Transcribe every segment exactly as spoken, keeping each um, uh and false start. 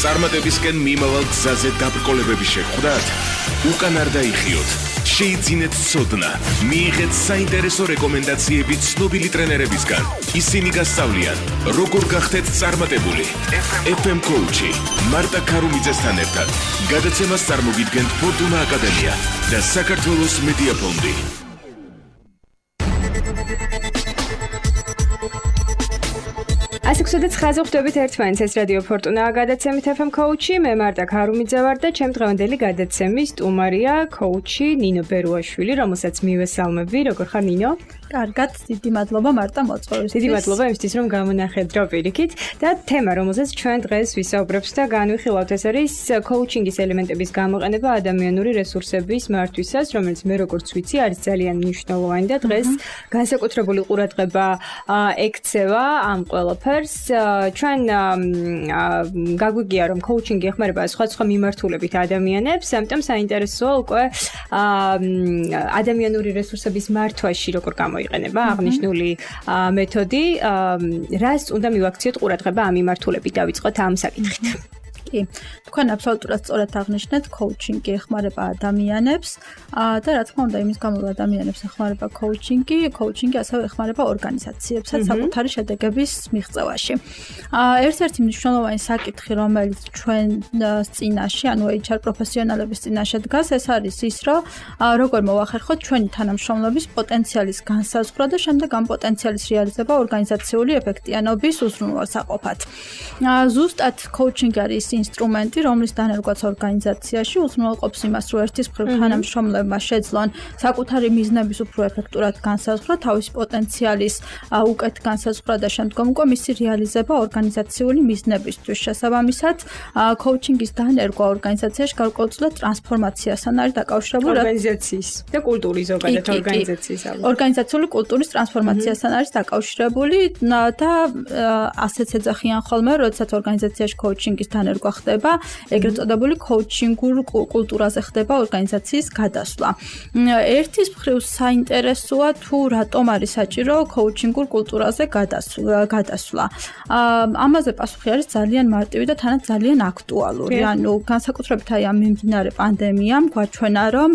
წარმატებისკენ მიმავალ გზაზე დაბრკოლებების შეხვდათ? უკან არ დაიხიოთ. შეიძინეთ ცოდნა, მიიღეთ საინტერესო რეკომენდაციები ცნობილი ტრენერებისგან. ისინი გასწავლიან, როგორ გახდეთ წარმატებული. ეფ ემ Coach-ი მარტა ქარუმიძესთან ერთად გადაცემას წარმოგიდგენთ ფორტუნა აკადემია და საქართველოს მედია ფონდი. ასექვსი და ცხრაზე ხვდებით ერთმანეთს, ეს რადიო ფორტუნა გადაცემით ეფ ემ Coach-ი, მე მარტა ქარუმიძე ვარ და ჩემ დღევანდელი გადაცემის სტუმარია Coach-ი ნინო ბერუაშვილი, რომელსაც მივესალმები. როგორ ხარ ნინო? კარგად, დიდი მადლობა მარტა მოწვევისთვის. დიდი მადლობა იმისთვის, რომ გამონახეთ დრო პირიქით და თემა, რომელზეც ჩვენ დღეს ვისაუბრებთ და განვიხილავთ, ეს არის coaching-ის ელემენტების გამოყენება ადამიანური რესურსების მართვისას, რომელიც მე როგორც ვიცი, არის ძალიან მნიშვნელოვანი და დღეს განსაკუთრებული ყურადღება ექცევა ამ ყველაფერს. ჩვენ გაგვიგია, რომ coaching-ი ეხმარება სხვადასხვა მიმართულებით ადამიანებს, ამიტომ საინტერესოა უკვე ადამიანური რესურსების მართვაში როგორ გამოიყენება აღნიშნული მეთოდი. რას უნდა მივაქციოთ ყურადღება ამ მიმართულებით? დავიწყოთ ამ საკითხით. კი, თქვენ აბსოლუტურად სწორად აღნიშნეთ, coaching-ი ეხმარება ადამიანებს და რა თქმა უნდა, იმის გამო რომ ადამიანებს ეხმარება coaching-ი, coaching-ი ასევე ეხმარება ორგანიზაციებსაც საკუთარი შედეგების მიღწევაში. ერთ-ერთი მნიშვნელოვანი საკითხი, რომელიც ჩვენ წინაშე, ანუ ეიჩ არ პროფესიონალების წინაშე დგას, ეს არის ის, რომ როგორ მოვახერხოთ ჩვენი თანამშრომლობის პოტენციალის განსაზღვრა და შემდეგ ამ პოტენციალის რეალიზება ორგანიზაციული ეფექტიანობის უზრუნველსაყოფად. ზუსტად coaching არის ინსტრუმენტი, რომლის დანერგვაც ორგანიზაციაში უზრუნველყოფს იმას, რომ ერთის მხრივ თანამშრომლებმა შეძლონ საკუთარი მიზნების უფრო ეფექტურად განსაზღვრა, თავისი პოტენციალის უკეთ განსაზღვრა და შემდგომ უკვე მისი რეალიზება ორგანიზაციული მიზნებისთვის. შესაბამისად, coaching-ის დანერგვა ორგანიზაციაში გარკვეულწილად ტრანსფორმაციასთან არის დაკავშირებული ორგანიზაციის და კულტურის ზოგადად ორგანიზაციის ორგანიზაციული კულტურის ტრანსფორმაციასთან არის დაკავშირებული და ასეც ეძახიან ხოლმე, როდესაც ორგანიზაციაში coaching-ის დანერგვა ხდება, ეგრეთ წოდებული coaching-ურ კულტურაზე ხდება ორგანიზაციის გადასვლა. ერთის მხრივ საინტერესოა თუ რატომ არის საჭირო coaching-ურ კულტურაზე გადასვლა. ამაზე პასუხი არის ძალიან მარტივი და თანაც ძალიან აქტუალური. ანუ განსაკუთრებით აი ამ მიმდინარე პანდემიამ გვაჩვენა, რომ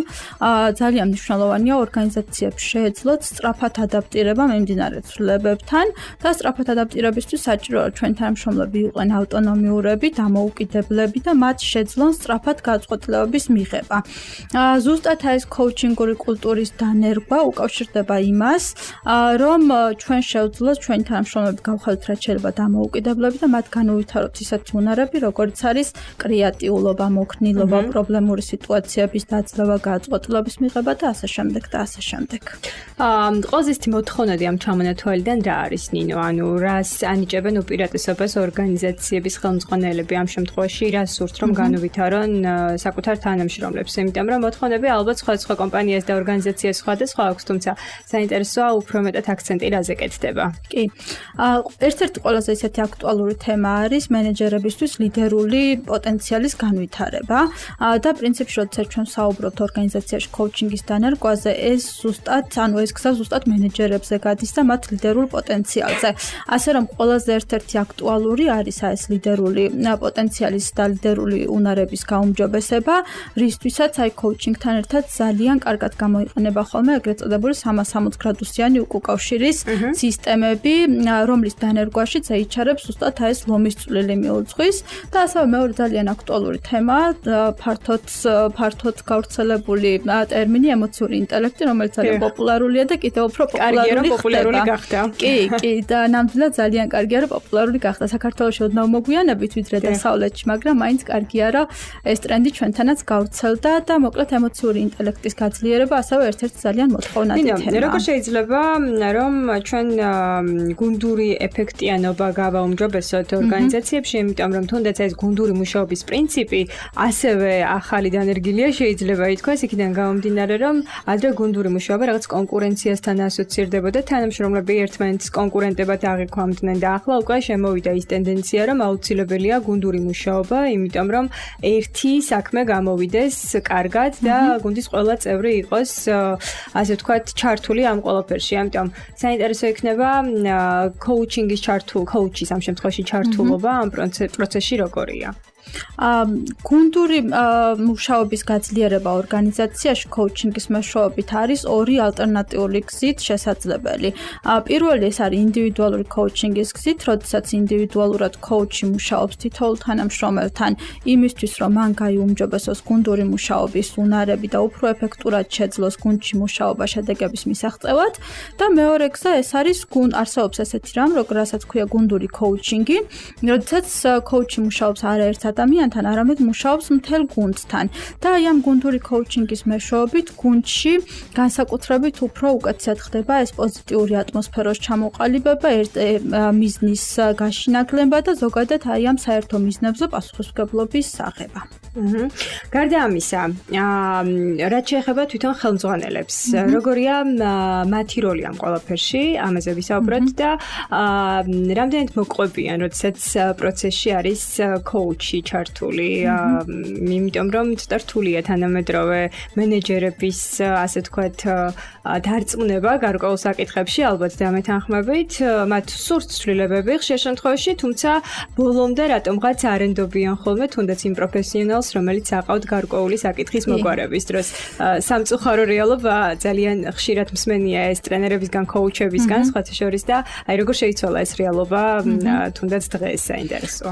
ძალიან მნიშვნელოვანია ორგანიზაციებს შეეძლოთ სწრაფად ადაპტირება მიმდინარე ცვლილებებთან და სწრაფად ადაპტირებისთვის საჭიროა ჩვენ თანამშრომლები იყვნენ ავტონომიურები, დამოუკიდებლები და მათ შეძლონ სწრაფად გადაწყვეტილებების მიღება. ზუსტად ეს coaching-ური კულტურის დანერგვა უკავშირდება იმას, რომ ჩვენ შევძლოთ ჩვენი თანამშრომლები გავხადოთ რაც შეიძლება დამოუკიდებლები და მათ განუვითაროთ ისეთი უნარები, როგორც არის კრეატიულობა, მოქნილობა, პრობლემური სიტუაციების დაძლევა, გადაწყვეტილების მიღება და ასე შემდეგ და ასე შემდეგ. ყველაზე ისეთი მოთხოვნადი ამ ჩამონათვალიდან რა არის ნინო? ანუ რას ანიჭებენ უპირატესობას ორგანიზაციების ხელმძღვანელები ამ შემთხვევაში, რას სურთ რომ განუვითარონ საკუთარ თანამშრომლებს? იმიტომ რომ მოთხოვნები ალბათ სხვადასხვა კომპანიას და ორგანიზაციას სხვადასხვა აქვს, თუმცა საინტერესოა უფრო მეტად აქცენტი რაზე კეთდება. კი. ერთ-ერთი ყველაზე ისეთი აქტუალური თემა არის მენეჯერებისთვის ლიდერული პოტენციალის განვითარება და პრინციპში როდესაც ჩვენ საუბრობთ ორგანიზაციაში coaching-ის დანერგვაზე, ეს ზუსტად, ანუ ეს გზა ზუსტად მენეჯერებზე გადის და მათ ლიდერულ პოტენციალზე. ასე რომ ყველაზე ერთ-ერთი აქტუალური არის ეს ლიდერული პოტენციალის და ლიდერული უნარების გაუმჯობესება, რისთვისაც აი coaching-თან ერთად ძალიან კარგად გამოიყენება ხოლმე ეგრეთ წოდებული სამას სამოცდაოთხ გრადუსიანი უკავშირის სისტემები, რომლის დანერგვაშიც ეიჩ არ-ებს ზუსტად ეს ლომის წვლილი მიუძღვის და ასევე მეორე ძალიან აქტუალური თემა, ფართოდ ფართოდ გავრცელებული ტერმინი ემოციური ინტელექტი, რომელიც ძალიან პოპულარულია და კიდევ უფრო პოპულარული გახდა. კი, კი, და ნამდვილად ძალიან კარგია, რომ პოპულარული გახდა. საქართველოში ოდნავ მოგვიანებით ვიდრე დასავლეთში, მაგრამ მაინც კარგია, რომ ეს ტრენდი ჩვენთანაც გავრცელდა და მოკლედ ემოციური ინტელექტის გაძლიერება ასევე ერთ-ერთი ძალიან მოთხოვნადი თემაა. როგორ შეიძლება რომ ჩვენ გუნდური ეფექტიანობა გავაუმჯობესოთ ორგანიზაციებში, იმიტომ რომ თუნდაც ეს გუნდური მუშაობის პრინციპი ასევე ახალი დანერგილია, შეიძლება ითქვას იქიდან გამომდინარე, რომ ადრე გუნდური მუშაობა რაღაც კონკურენციასთან ასოცირდებოდა, თანამშრომლები ერთმანეთის კონკურენტებად აღიქვამდნენ და ახლა უკვე შემოვიდა ის ტენდენცია, რომ აუცილებელია გუნდური მუშაობა, იმიტომ რომ ერთი საქმე გამოვიდეს კარგად და გუნდის ყველა წევრი იყოს ასე ვთქვათ ჩართული ამ ყველაფერში. ამიტომ საინტერესო იქნება coaching-ის ჩართულ coach-ის ამ შემთხვევაში ჩართულობა ამ პროცესში როგორია. გუნდური მუშაობის გაძლიერება ორგანიზაციაში coaching-ის მეშვეობით არის ორი ალტერნატიული გზით შესაძლებელი. პირველი ეს არის ინდივიდუალური coaching-ის გზით, როდესაც ინდივიდუალურად coach-ი მუშაობს თითოეულ თანამშრომელთან იმისთვის, რომ მან გაიუმჯობესოს გუნდური მუშაობის უნარები და უფრო ეფექტურად შეძლოს გუნდში მუშაობა შედეგების მისაღწევად და მეორე გზა ეს არის გუნდ არსებობს ესეთი რამ, რასაც ქვია გუნდური coaching-ი, როდესაც coach-ი მუშაობს არაერთ ადამიანთან, არამედ მუშაობს მთელ გუნდთან და აი ამ გუნდური coaching-ის მეშვეობით გუნდში განსაკუთრებით უფრო უკეთესად ხდება ეს პოზიტიური ატმოსფეროს ჩამოყალიბება, მიზნის გაშინაგლება და ზოგადად აი ამ საერთო მიზნებზე პასუხისმგებლობის აღება. გარდა ამისა, რაც შეეხება თვითონ ხელმძღვანელებს, როგორია მათი როლი ამ ყველაფერში, ამაზე ვისაუბროთ და რამდენად მოყვებიან, როდესაც პროცესში არის coach-ი ჩართული, იმიტომ რომ ცოტა რთულია თანამედროვე მენეჯერების, ასე ვთქვათ, დარწმუნება გარკვეულ საკითხებში, ალბათ დამეთანხმებით, მათ სურთ ცვლილებები ხშირ შემთხვევაში, თუმცა ბოლომდე რატომღაც არ ენდობიან ხოლმე თუნდაც იმ პროფესიონალს, რომელიც აყავთ გარკვეული საკითხის მოგვარების დროს. სამწუხარო რეალობა ძალიან ხშირად მსმენია ეს ტრენერებისგან, coach-ებისგან, სხვათა შორის და აი როგორ შეიცვალა ეს რეალობა თუნდაც დღეს საინტერესოა.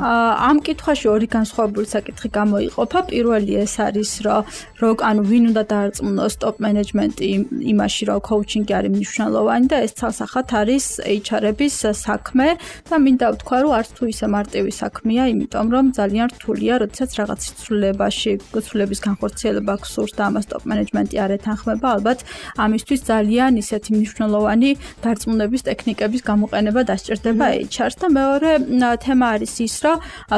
ამ კითხვაში ორი განსხვავებული საკითხი გამოიყოფა. პირველი ეს არის, რომ რო ანუ ვინ უნდა დაარწმუნოს top management-ი იმაში, რომ coaching-ი არის მნიშვნელოვანი და ეს ცალსახად არის H R-ების საქმე და მინდა ვთქვა, რომ არც თუ ისე მარტივი საქმეა, იმიტომ რომ ძალიან რთულია, როდესაც რაღაც ცვლილებაში, ცვლილების განხორციელება გსურს და ამას top management-ი არ ეთანხმება, ალბათ ამისთვის ძალიან ისეთი მნიშვნელოვანი დარწმუნების ტექნიკების გამოყენება დასჭირდება H R-ს და მეორე თემა არის ის, რომ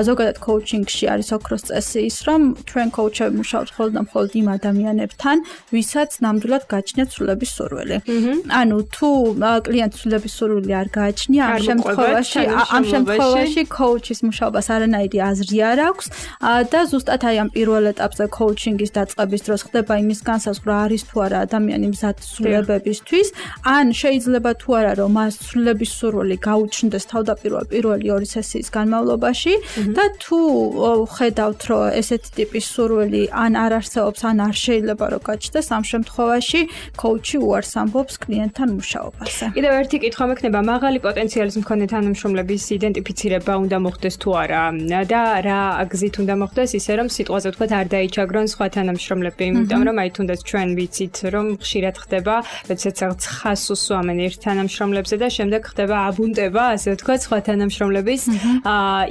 ზოგადად coaching-ში არის ოქროს წესი ის, რომ ჩვენ coach-ები მუშაობთ მხოლოდ და მხოლოდ იმ ადამიანებთან, ვისაც ნამდვილად გააჩნიათ ცვლილების სურვილი. ანუ თუ კლიენტს ცვლილების სურვილი არ გააჩნია, ამ შემთხვევაში ამ შემთხვევაში coach-ის მუშაობას არანაირი აზრი არ აქვს და ზუსტად აი ამ პირველ ეტაპზე coaching-ის დაწყების დროს ხდება იმის განსაზღვრა არის თუ არა ადამიანი მზად ცვლილებებისთვის, ან შეიძლება თუ არა რომ მას ცვლილების სურვილი გაუჩნდეს თავდაპირველ პირველი ორი სესიის განმავლობაში და თუ ხედავთ რომ ესეთი ტიპის სურვილი ან არ არსებობს, ან არ შეიძლება რომ გაჩნდეს, ამ შემთხვევაში coach-ი უარს ამბობს კლიენტთან მუშაობაზე. კიდევ ერთი კითხვა მექნება, მაღალი პოტენციალის მქონე თანამშრომლების იდენტიფიცირება უნდა მოხდეს თუ არა და რა გზით უნდა მოხდეს, ისე რომ სიტყვაზე ვთქვათ არ დაიჩაგრონ სხვა თანამშრომლები, იმიტომ რომ აი თუნდაც ჩვენ ვიცით რომ ხშირად ხდება, როდესაც რაღაც ხას უსვამენ ერთ თანამშრომლებზე და შემდეგ ხდება აბუნტება, ასე ვთქვათ, სხვა თანამშრომლების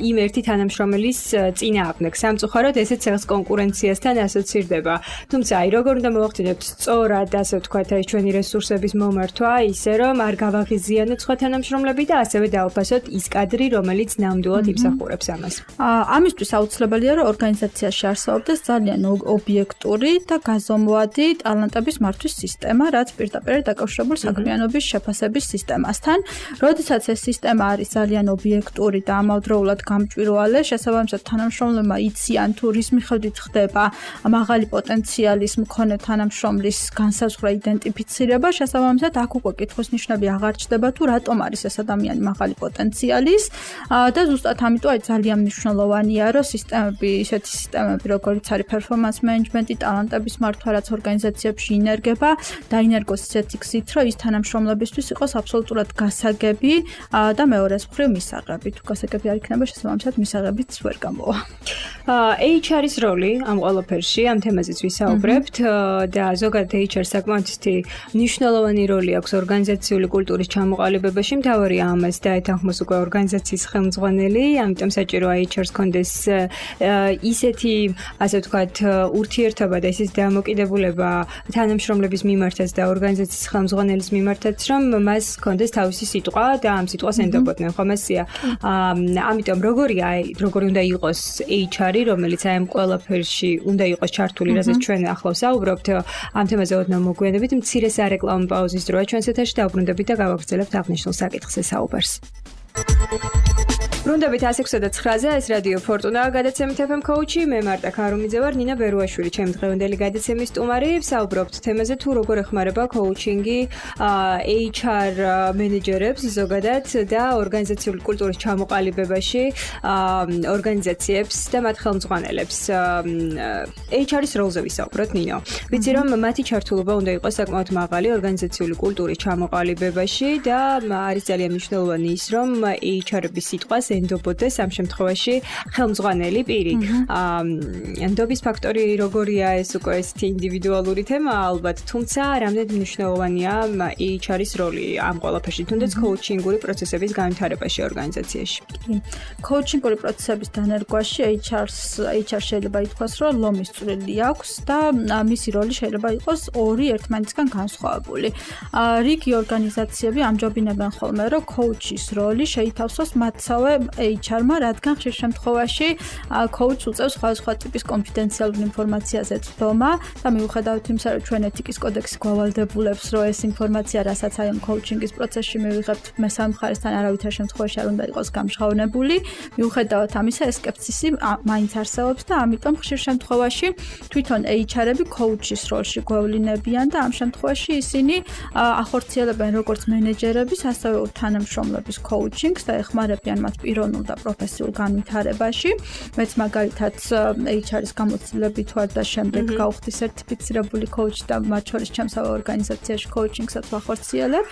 იმ ერთი თანამშრომელის წინააღმდეგ. სამწუხაროდ ესეც რაღაც კონკურენციასთან ასოცირდება. თუმცა აი როგორ უნდა მოვახდინოთ სწორად, ასე ვთქვათ, აი ჩვენი რესურსების მომართვა, ისე რომ არ გავაღიზიანოთ სხვა თანამშრომლები და ასევე დაუფასოთ ის კადრი, რომელიც ნამდვილად იმსახურებს ამას. ამისთვის აუცილებელია რომ ორგანიზაციაში არსებობდეს ძალიან ობიექტური და გაზომვადი ტალანტების მართვის სისტემა, რაც პირდაპირ დაკავშირებული საქმიანობის შეფასების სისტემასთან. როდესაც ეს სისტემა არის ძალიან ობიექტური და ამავდროულად გამჭვირვალე, შესაბამისად თანამშრომლებმა იციან თუ რის მიხედვით ხდება მაღალი პოტენციალის მქონე თანამშრომლის განსაზღვრა, იდენტიფიცირება, შესაბამისად აქ უკვე კითხვის ნიშნები აღარ ჩდება თუ რატომ არის ეს ადამიანი მაღალი პოტენციალის და ზუსტად ამიტომ აი ძალიან მნიშვნელოვანია რომ სისტემები, ისეთი სისტემები როგორც არის performance management-ი, ტალანტების მართვა, რაც ორგანიზაციებში ინერგება, დაინერგოს ისეთი გზით, რომ ის თანამშრომლებისთვის იყოს აბსოლუტურად გასაგები და მეორეს მხრივ მისაღები. თუ გასაგები არ იქნება, შესაბამისად მისაღებიც ვერ გამოვა. H R-ის როლი ამ ყველაფერში, ამ თემაზეც ვისაუბრებთ და ზოგადად H R საკმაოდ მნიშვნელოვანი როლი აქვს ორგანიზაციული კულტურის ჩამოყალიბებაში, მთავარია ამას დაეთანხმოს უკვე ორგანიზაციის ხელმძღვანელი, ამიტომ საჭიროა H R-ს კონდეს ისეთი, ასე ვთქვათ, ურთიერთობა და ისეთი დამოკიდებულება თანამშრომლების მიმართაც და ორგანიზაციის ხელმძღვანელის მიმართაც, რომ მას კონდეს თავისი სიტყვა და ამ სიტყვას ენდობოდნენ, ხომ ესეა. ამიტომ როგორია, როგორი უნდა იყოს H R-ი, რომელიც აი ამ ყველაფერში უნდა იყოს ჩართული, რასაც ჩვენ ახლა ვსაუბრობთ, ამ თემაზე ოდნავ მოგვიანებით, მცირე სარეკლამო პაუზის დროა ჩვენს ეთერში დავბრუნდებით და გავაგრძელებთ აღნიშნულ საკითხზე საუბარს. ბრუნდებით one six nine-ზე, ეს რადიო ფორტუნა გადაცემით ეფ ემ Coach-ი, მე მარტა ქარუმიძე ვარ, ნინა ბერუაშვილი, ჩემი დღევანდელი გადაცემის სტუმარი. ვსაუბრობთ თემაზე თუ როგორ ეხმარება coaching-ი H R მენეჯერებს ზოგადად და ორგანიზაციული კულტურის ჩამოყალიბებაში ორგანიზაციებს და მათ ხელმძღვანელებს. H R-ის როლზე ვისაუბროთ, ნინო. ვიცი რომ მათი ჩართულობა უნდა იყოს საკმაოდ მაღალი ორგანიზაციული კულტურის ჩამოყალიბებაში და არის ძალიან მნიშვნელოვანი ის, რომ H R-ების სიტყვას ენდობოდეს ამ შემთხვევაში ხელმძღვანელი პირი. ენდობის ფაქტორი როგორია, ეს უკვე ესეთი ინდივიდუალური თემა ალბათ, თუმცა რამდენად მნიშვნელოვანია H R-ის როლი ამ ყველაფერში, თუნდაც coaching-ური პროცესების განვითარებაში ორგანიზაციაში. Coaching-ური პროცესების დანერგვაში H R-ს H R შეიძლება ითქვას, რომ ლომის წვლილი აქვს და მისი როლი შეიძლება იყოს ორი ერთმანეთისგან განსხვავებული. რიგი ორგანიზაციები ამჯობინებენ ხოლმე, რომ coach-ის როლი შეითავსოს მათსავე H R-მა, რადგან ხშირ შემთხვევაში coach უწევს სხვადასხვა ტიპის კონფიდენციალურ ინფორმაციაზე წვდომა და მიუხედავად იმისა, რომ ჩვენ ეთიკის კოდექსი გვავალდებულებს, რომ ეს ინფორმაცია, რასაც აი ამ coaching-ის პროცესში მივიღებთ, მესამე მხარესთან არავითარ შემთხვევაში არ უნდა იყოს გამჟღავნებული. მიუხედავად ამისა, ეს სკეპსისი მაინც არსებობს და ამიტომ ხშირ შემთხვევაში თვითონ H R-ები coach-ის როლში გვევლინებიან და ამ შემთხვევაში ისინი ახორციელებენ როგორც მენეჯერების, ასევე თანამშრომლების coaching-ს და ეხმარებიან მათ პიროვნულ და პროფესიულ განვითარებაში. მეც მაგალითად H R-ის გამოცდილებით ვარ და შემდეგ გავხდი სერტიფიცირებული coach და მათ შორის ჩემსავე ორგანიზაციაში coaching-საც ვახორციელებ.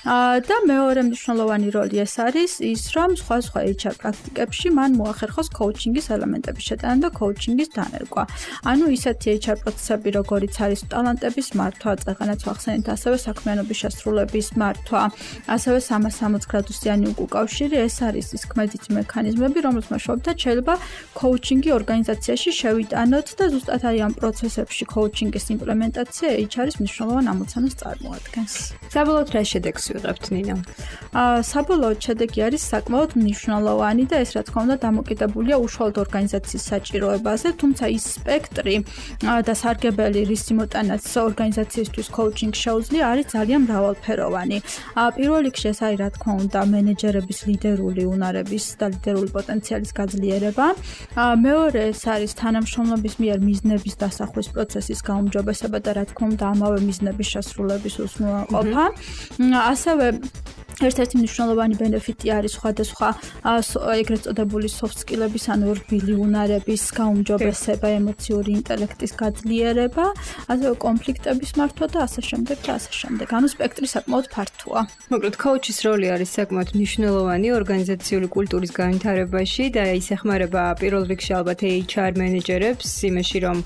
და მეორე მნიშვნელოვანი როლი ეს არის ის, რომ სხვადასხვა H R პრაქტიკებში მან მოახერხოს coaching-ის ელემენტების შეტანა და coaching-ის დანერგვა. ანუ ისეთი H R პროცესები, როგორიც არის ტალანტების მართვა, წეღანაც ვახსენეთ, ასევე საქმიანობის შესრულების მართვა, ასევე სამას სამოცდ გრადუსიანი უკავშირი, ეს არის ის ქმედითი მექანიზმები, რომლის მეშვეობითაც შეიძლება coaching-ი ორგანიზაციაში შევიტანოთ და ზუსტად აი ამ პროცესებში coaching-ის იმპლემენტაცია H R-ის მნიშვნელოვან ამოცანას წარმოადგენს. საბოლოოდ რა შედეგს ვიღებთ, ნინო? საბოლოოდ შედეგი არის საკმაოდ მნიშვნელოვანი და ეს რა თქმა უნდა დამოკიდებულია უშუალოდ ორგანიზაციის საჭიროებაზე, თუმცა ის სპექტრი და სარგებელი, რის იმოტანაც ორგანიზაციისთვის coaching შეუძლია, არის ძალიან მრავალფეროვანი. პირველ რიგში ეს არის რა თქმა უნდა მენეჯერების ლიდერული უნარების და ლიდერული პოტენციალის გაძლიერება. მეორე ეს არის თანამშრომლობის მიერ მიზნების დასახვის პროცესის გაუმჯობესება და რა თქმა უნდა ამავე მიზნების შესრულების უზრუნველყოფა. ასევე ერთ-ერთი მნიშვნელოვანი ბენეფიტი არის სხვადასხვა ეგრეთ წოდებული soft skill-ების, ანუ რბილი უნარების გაუმჯობესება, ემოციური ინტელექტის გაძლიერება, ასევე კონფლიქტების მართვა და ასე შემდეგ და ასე შემდეგ. ანუ სპექტრი საკმაოდ ფართოა. მოკლედ, coach-ის როლი არის საკმაოდ მნიშვნელოვანი ორგანიზაციული კულტურის განვითარებაში და ის ეხმარება პირველ რიგში ალბათ H R მენეჯერებს იმაში, რომ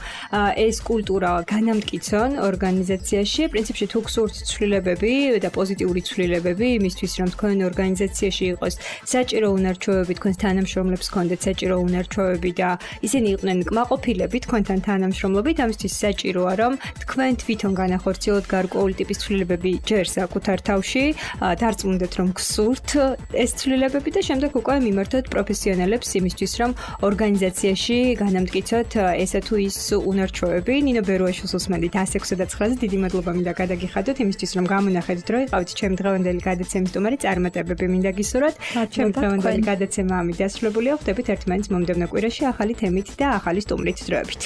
ეს კულტურა განამტკიცონ ორგანიზაციაში. პრინციპში თუ გსურთ ცვლილებები და პოზიტიური ცვლილებები იმისთვის, რომ თქვენ ორგანიზაციაში იყოს საჭირო უნარჩვევები, თქვენს თანამშრომლებს ჰქონდეთ საჭირო უნარჩვევები და ისინი იყვნენ კმაყოფილები თქვენთან თანამშრომლობით, ამისთვის საჭიროა, რომ თქვენ თვითონ განახორციელოთ გარკვეული ტიპის ცვლილებები ჯერ საკუთარ თავში, დარწმუნდეთ, რომ გსურთ ეს ცვლილებები და შემდეგ უკვე მიმართოთ პროფესიონალებს იმისთვის, რომ ორგანიზაციაში განამტკიცოთ ესა თუ ის უნარჩვევები. ნინო ბერუაშვილს უსმენთ one six nine-ზე, დიდი მადლობა მინდა გადაგიხადოთ იმისთვის, რომ გამონახეთ დრო იყავით ჩემი დღევანდელი გადაცემის სტუმარი, წარმატებები მინდა გისურვოთ. ჩემი დღევანდელი გადაცემა ამით დასრულებულია. ხვდებით ერთმანეთს მომდევნო კვირაში ახალი თემით და ახალი სტუმრით დროებით.